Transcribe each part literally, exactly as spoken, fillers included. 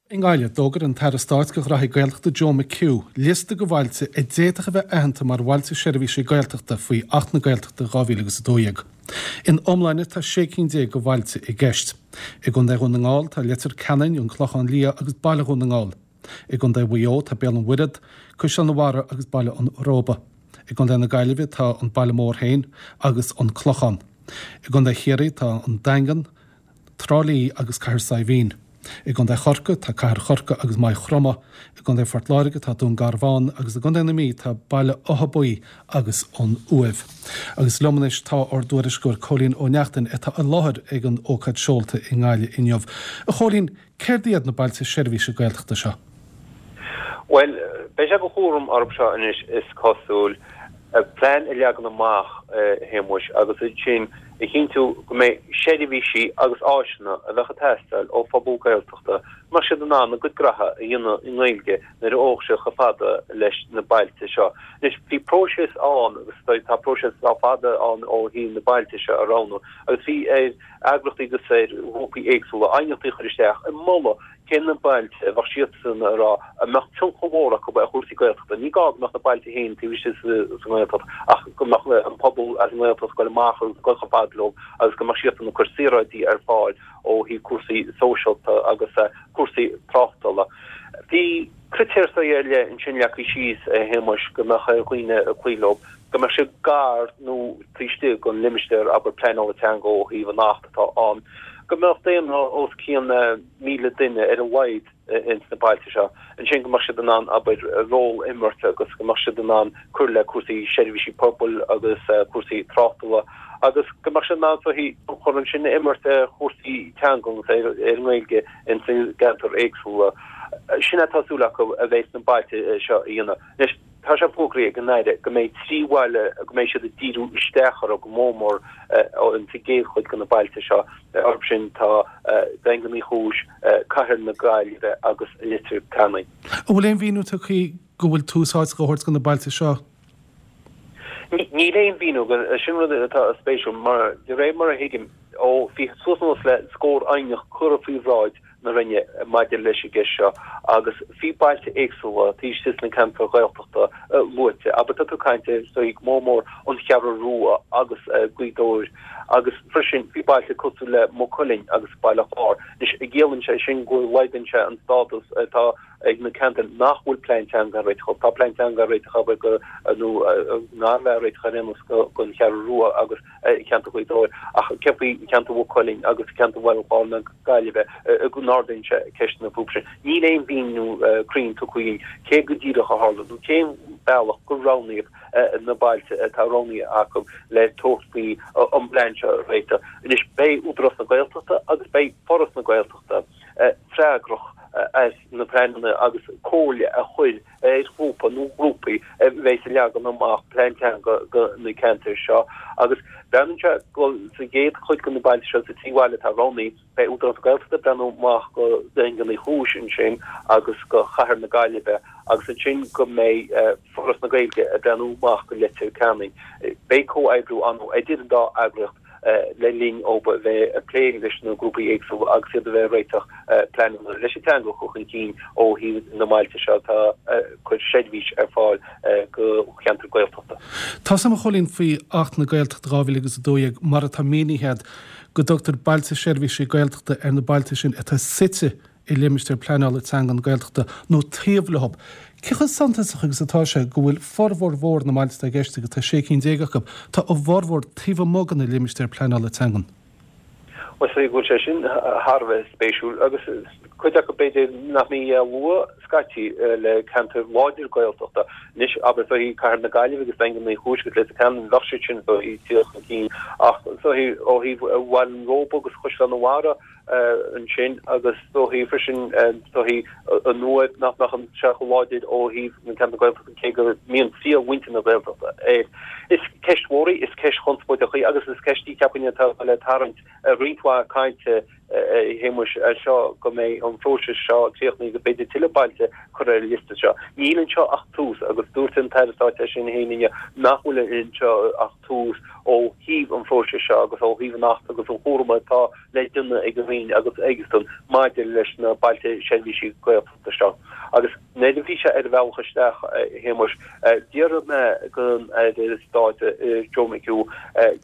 I nGaillimh, d'fhógair an tAire Stáit do Ghraithí Gaeltachta Joe McHugh liosta de bhailte a d'fhéadfadh a bheith aitheanta mar bhailte seirbhísí Gaeltachta faoi Acht na Gaeltachta dhá mhíle agus a dó dhéag. In iomláine tá sé cinn déag de bhailte i gceist. I gContae Dhún na nGall tá Leitir Ceanainn, An Clochán Liath agus Baile Dhún na nGall. I gContae Mhaigh Eo tá Béal an Mhuirthead, Caisleán an Bharraigh agus Baile an Róba. I gContae na Gaillimhe tá an Baile Mór féin agus an Clochán. I gContae Chiarraí tá an Daingean, Trá Lí agus Cathair Saidhbhín. I gContae Chorcaí tá Cathair Chorcaí agus Maigh Chromtha, i gContae Phort Láirge tá Dún Garbhán agus i gContae na Mí tá Baile Átha Buí agus an Uaimh. Agus liom anois tá ár dtuairisceoir Cóilín Ó Neachtain atá i láthair ag an ócáid seolta i nGaillimh inniu. A Chóilín, céard iad na bailte seirbhíse Gaeltachta seo? Bhuel, beidh sé de chúram orthu seo anois is cosúil, plean a leagan amach, a Shéamuis, agus ansin a chinntiú go mbeidh seirbhísí agus áiseanna a bheadh ag teastáil ó phobal Gaeltachta, go mbeadh siad in ann a gcuid graithe a dhéanamh i nGaeilge nuair a thóg siad chomh fada leis na bailte seo. Anois, bhí próiseas ann agus tá próiseas le fada ann ó thaobh na bailte seo a roghnú agus bhí ar eagraíochtaí agus ar ghrúpaí éagsúla aighneachtaí a chur isteach ag moladh cé na bailte a bheadh siadsan a rá a mbeadh tionchar mhór acu ar chúrsaí Gaeltachta. Ní gá go mbeadh na bailte féin taobh istigh sa nGaeltacht ach go mbeadh an pobal as an nGaeltacht ag goil amach agus ag goil chomh fada leo agus go mbeadh siadsan ag cur saoráidí ar fáil ó thaobh cúrsaí sóisialta agus cúrsaí tráchtála. Bhí critéir ar leith ansin leagtha síos, a Shéamuis, go mbeadh ar dhaoine cloí leo, go mbeadh siad gar nó taobh istigh den limistéar, abair, pleanála teanga ó thaobh an Acht atá ann, go mbeadh daonra os cionn míle duine ar a laghad ins na bailte seo, ansin go mbeadh siad in ann, abair, ról a imirt agus go mbeadh siad in ann cur le cúrsaí seirbhísí pobail agus cúrsaí tráchtála agus go mbeadh siad in ann tionchar ansin a imirt ar chúrsaí teanga agus ar an nGaeilge ins na gceantair éagsúla. Sin atá súil acu a bheidh sna bailte seo a dhéanamh. Anois, tá sé fógraithe ag an Aire go mbeidh trí bhaile go mbeidh siad ag díriú isteach orthu go mór mór insa gcéad chuid de na bailte seo. Orthu sin tá Daingean Uí Chúis, Cathair na Gaillimhe agus Leitir Ceanainn. An bhfuil aon mhíniú tugtha go bhfuil tús áite á thabhairt do na bailte seo? Níl aon mhíniú, sin rud atá spéisiúil, mar de réir mar a thuigim ó bhí suas anuas le scór aighneacht curtha faoi bhráid na Roinne maidir leis an gceist seo agus bhí bailte éagsúla taobh istigh sna ceantair Ghaeltachta luaite. Abair tá tú ag caint ar is dóigh go mór mór an Cheathrú Rua agus Gaoth Dobhair agus freisin bhí bailte cosúil le Maigh Cuilinn agus Baile Chláir. Anois an gciallaíonn sé sin go laghdaíonn sé an stádas atá ag na ceantair nach bhfuil plean teanga á réiteach acu. Tá plean teanga á réiteach abair go nó nár bheith á réiteach ar aon nós don Cheathrú Rua agus ceantar Ghaoth Dobhair ach céard faoi cheantar Mhaigh Cuilinn agus ceantar Bhaile Chláir na Gaillimhe go n-ardaíonn sé ceisteanna fúthu sin. Níl aon mhíniú cruinn tugtha againn cé go díreach a tharla nó cén bealach gur roghnaíodh na bailte atá roghnaithe acu le tabhairt faoi an bplean seo a réiteach. Anois beidh Údarás na Gaeltachta agus beidh Foras na Gaeltachta freagrach as na pleananna agus comhairle a chur ar ghrúpa nó grúpaí a bheas ag leagan amach plean teanga do na ceantair seo agus breathnaíonn sé go sa gcéad chuid de na bailte seo, sa trí bhaile atá roghnaithe, beidh Údarás na Gaeltachta ag breathnú amach go Daingean Uí Chúis ansin agus go Chathair na Gaillimhe agus ansin go mbeidh Foras na Gaeilge ag breathnú amach go Leitir Ceanainn. Beidh comhoibriú ann idir an dá eagraíocht le linn dóibh a bheith ag plé leis na grúpaí éagsúla agus iad a bheith ag réiteach pleananna leis an teanga a chur chun cinn ó thaobh na mbailte seo atá ag cur seirbhís ar fáil do cheantar Gaeltachta. Tá a fhios agam, a Chóilín, faoi Acht na Gaeltachta dhá mhíle agus a dó dhéag, mar atá mínithe agat, go dtugtar bailte seirbhísí Gaeltachta ar na bailte sin atá suite i limistéar pleanála teangan Gaeltachta nó taobh leo. Cé chomh suntasach agus atá sé go bhfuil formhór mhór na mbailte atá i gceist, agus tá sé cinn déag acu, tá a bhformhór taobh amuigh de na limistéir pleanála teangan? Bhuel, is dóigh go bhfuil sé sin thar a bheith spéisiúil agus cuid acu b'fhéidir nach mbí á lua scaití le ceantair láidir Gaeltachta. Anois, abair, is dóigh Cathair na Gaillimhe agus Daingean Uí Chúis agus Leitir Ceanainn, bheadh siad sin is dóigh ag tíocht chun cinn ach is dóigh ó thaobh Bhaile an Róba agus Chaisleán an Bharraigh, ansin agus is dóigh freisin is dóigh an Uaimh nach mbeadh sé chomh láidir ó thaobh na ceantar Gaeltachta cé go mbíonn triall mhuintir na Gaeltachta air. Is ceist mhór í, is ceist chonspóideach í agus is ceist í cheapfainn atá le tarraingt roinnt mhaith cainte a Shéamuis as seo go mbeidh an phróiseas seo críochnaithe go b'fhéidir tuilleadh bailte curtha ar an liosta seo. Níl anseo ach tús agus dúirt an tAire Stáit é sin féin inniu nach bhfuil anseo ach tús ó ó thaobh an phróisis seo agus ó thaobh an Achta agus an chúram atá le déanamh ag an Roinn agus aigesan maidir leis na bailte seirbhísí Gaeltachta seo. Agus nuair a bhí sé ar a bhealach isteach, a Shéamuis, d'fhiafraigh mé den Aire Stáit Joe McHugh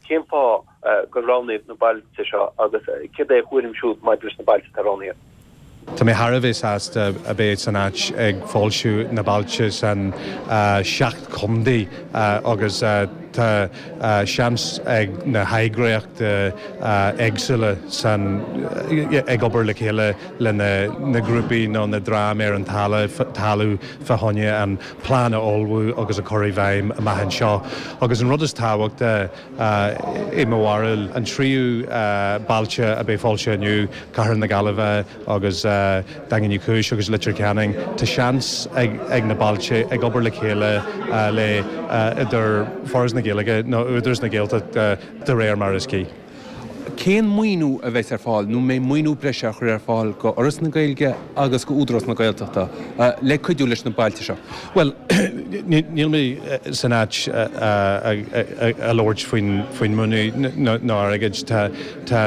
cén fáth gur roghnaíodh na bailte seo agus céard é a thuairim siúd maidir leis na bailte atá roghnaithe. Tá mé thar a bheith sásta a bheith san áit ag foilsiú na bailte san seacht chontae agus tá seans ag na heagraíochtaí éagsúla san ag obair le chéile le na grúpaí nó na dream ar an talamh fá choinne an plean a ullmhú agus a chur i bhfeidhm amach anseo. Agus an rud is tábhachtaí i mo bharúil an tríú bailte a bheidh foilsithe inniu, Cathair na Gaillimhe agus Daingean Uí Chúis agus Leitir Ceanainn, tá seans ag na bailte ag obair le chéile le idir Foras na Gaeilge nó Údarás na Gaeltachta de réir mar is cuí. Cén maoiniú a bheas ar fáil nó mbeidh maoiniú breise á chur ar fáil go Fhoras na Gaeilge agus go Údarás na Gaeltachta le cuidiú leis na bailte seo? Bhuel, níl mé san áit a labhairt faoin maoiniú nó airgead. Tá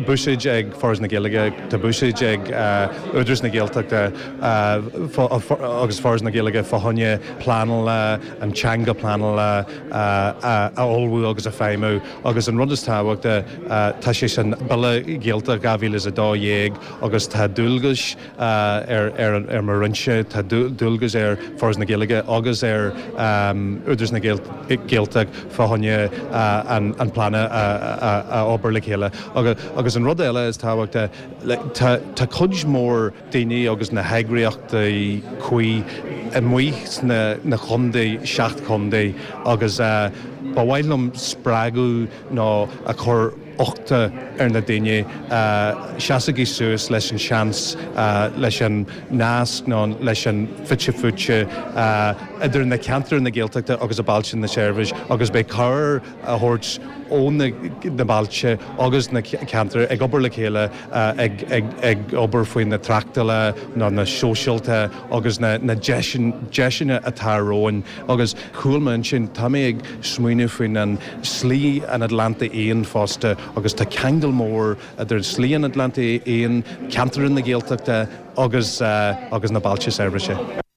buiséid ag Foras na Gaeilge, tá buiséid ag Údarás na Gaeltachta agus Foras na Gaeilge fá choinne pleanála, an teanga pleanála a ullmhú agus a feidhmiú agus an rud is tábhachtaí, tá sé san Bille Gaeltacht dhá mhíle is a dó dhéag agus tá dualgas ar mo Roinnse, tá dualgas ar Foras na Gaeilge agus ar Údarás na Gaeltacht fá choinne an plean a obair le chéile. Agus an rud eile is tábhachtaí, tá cuid mhór daoine agus na heagraíochtaí cuí amuigh sna chontae, seacht chontae agus ba mhaith liom spreagadh nó a chur uchta ar na daoine, seasaigí suas leis an seans, leis an nasc nó leis an fite fuaite idir na ceantair na Gaeltachta agus a bailte na seirbhís agus beidh cabhair a thabhairt ó na bailte agus na ceantair ag obair le chéile ag obair faoi na tráchtála nó na sóisialta agus na deiseanna atá romhainn agus chúl m'intinn tá mé ag smaoineamh faoin an Slí an Atlantaigh Fhiáin fosta agus tá ceangal mór idir Slí an Atlantaigh Fhiáin, ceantar na Gaeltachta agus agus na bailte seirbhíse.